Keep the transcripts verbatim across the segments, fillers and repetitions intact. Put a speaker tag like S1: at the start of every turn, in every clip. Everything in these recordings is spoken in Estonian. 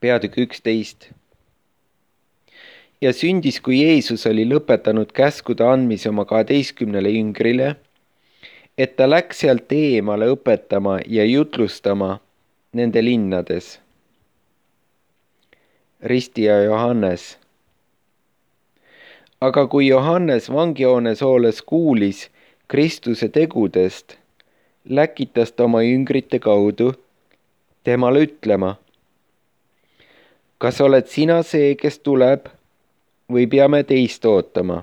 S1: peatükk üksteist. Ja sündis, kui Jeesus oli lõpetanud käskude andmise oma kaheteistkümnele jüngrile, et ta läks sealt eemale õpetama ja jutlustama nende linnades. Ristija Johannes. Aga kui Johannes vangihoones olles kuulis Kristuse tegudest, läkitas ta oma jüngrite kaudu temale ütlema: kas oled sina see, kes tuleb, või peame teist ootama?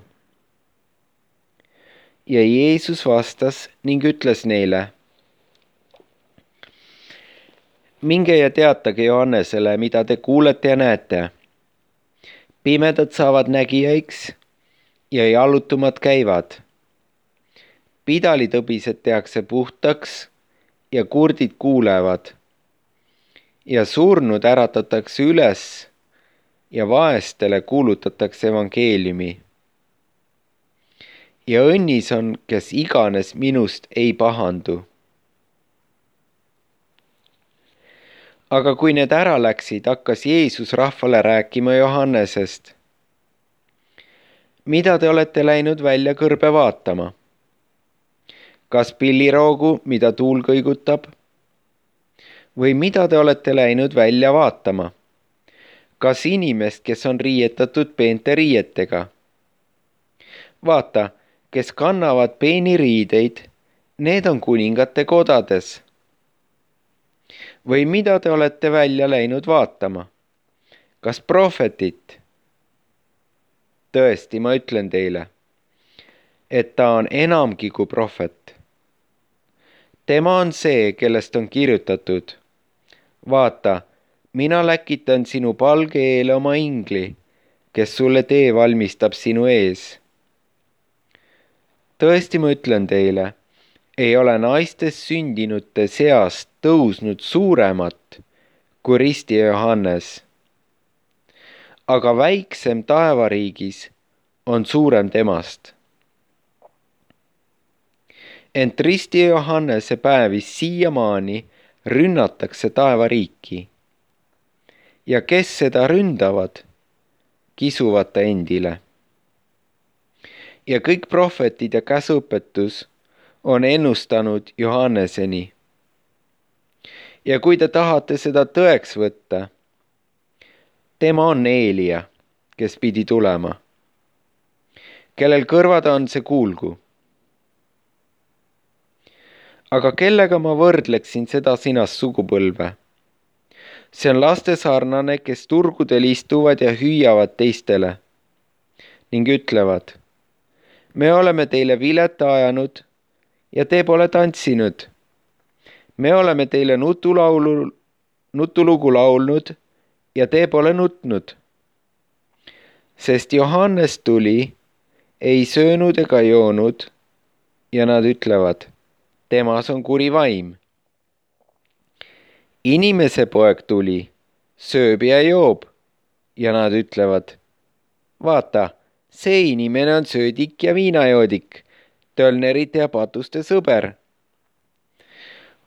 S1: Ja Jeesus vastas ning ütles neile: minge ja teatage Johannesele, mida te kuulete ja näete. Pimedad saavad nägijaiks ja jallutumad käivad. Pidalitõbised tehakse puhtaks ja kurdid kuulevad. Ja surnud äratatakse üles ja vaestele kuulutatakse evangeeliumi. Ja õnnis on, kes iganes minust ei pahandu. Aga kui need ära läksid, hakkas Jeesus rahvale rääkima Johannesest. Mida te olete läinud välja kõrbe vaatama? Kas pilliroogu, mida tuul kõigutab? Või mida te olete läinud välja vaatama? Kas inimest, kes on riietatud peente riietega? Vaata, kes kannavad peeni riideid, need on kuningate kodades. Või mida te olete välja läinud vaatama? Kas prohvetit? Tõesti, ma ütlen teile, et ta on enamgi kui prohvet. Tema on see, kellest on kirjutatud: vaata, mina läkitan sinu palge eele oma ingli, kes sulle tee valmistab sinu ees. Tõesti, ma ütlen teile, ei ole naistest sündinute seast tõusnud suuremat kui ristija Johannes. Aga väiksem taevariigis on suurem temast. Ent ristija Johannese päevis siiamaani rünnatakse taevariiki. Ja kes seda ründavad, kisuvad ta endile. Ja kõik prohvetid ja käsuõpetus on ennustanud Johanneseni. Ja kui te tahate seda tõeks võtta, tema on Eelia, kes pidi tulema. Kellel kõrvad on, see kuulgu. Aga kellega ma võrdleksin seda sinast sugupõlve? See on laste sarnane, kes turgudel istuvad ja hüüavad teistele ning ütlevad: me oleme teile vileta ajanud ja te pole tantsinud. Me oleme teile nutulaulu, nutulugu laulnud ja te pole nutnud. Sest Johannes tuli, ei söönud ega joonud ja nad ütlevad: temas on kuri vaim. Inimese poeg tuli, sööb ja joob ja nad ütlevad: vaata, see inimene on söödik ja viinajoodik, tölnerite ja patuste sõber.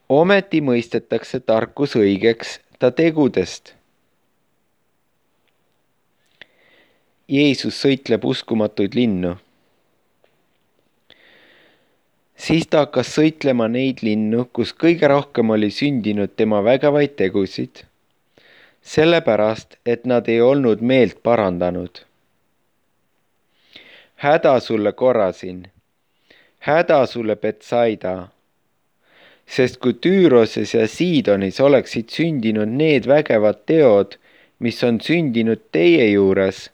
S1: Ometi mõistetakse tarkus õigeks ta tegudest. Jeesus sõitleb uskumatuid linnu. Siis ta hakkas sõitlema neid linnu, kus kõige rohkem oli sündinud tema vägevaid tegusid, sellepärast, et nad ei olnud meelt parandanud. Häda sulle Korasin, häda sulle Betsaida, sest kui Tüüroses ja Siidonis oleksid sündinud need vägevad teod, mis on sündinud teie juures,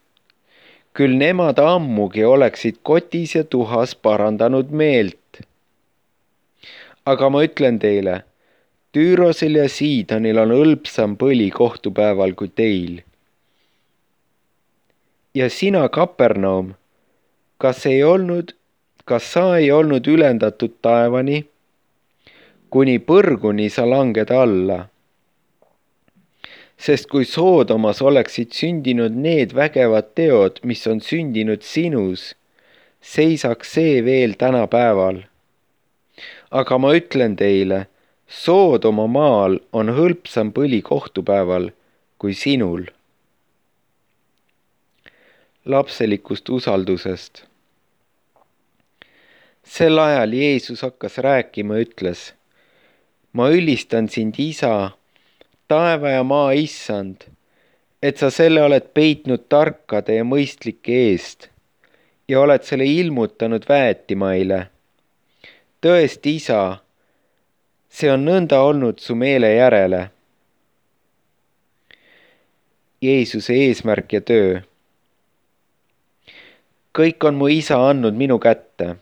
S1: küll nemad ammugi oleksid kotis ja tuhas parandanud meelt. Aga ma ütlen teile, Tüürosel ja Siidonil on hõlpsam põli kohtupäeval kui teil. Ja sina, Kapernaum, kas ei olnud, kas sa ei olnud ülendatud taevani, kuni põrguni sa langed alla? Sest kui Soodomas oleksid sündinud need vägevad teod, mis on sündinud sinus, seisaks see veel tänapäeval. Aga ma ütlen teile, Soodoma maal on hõlpsam põli kohtupäeval kui sinul. Lapselikust usaldusest. Sel ajal Jeesus hakkas rääkima, ütles: ma ülistan sind, Isa, taeva ja maa issand, et sa selle oled peitnud tarkade ja mõistlike eest ja oled selle ilmutanud väetimaile. Tõesti, Isa, see on nõnda olnud su meele järele. Jeesuse eesmärk ja töö. Kõik on mu Isa andnud minu kätte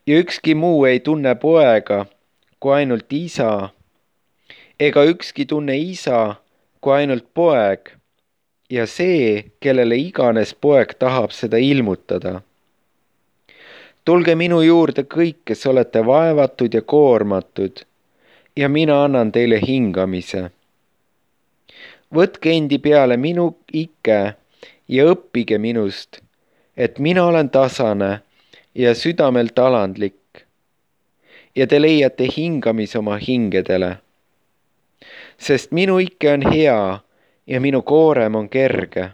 S1: ja ükski muu ei tunne poega kui ainult Isa, ega ükski tunne Isa kui ainult poeg ja see, kellele iganes poeg tahab seda ilmutada. Tulge minu juurde kõik, kes olete vaevatud ja koormatud, ja mina annan teile hingamise. Võtke endi peale minu ikke ja õppige minust, et mina olen tasane ja südamelt alandlik, ja te leiate hingamise oma hingedele. Sest minu ikke on hea ja minu koorem on kerge.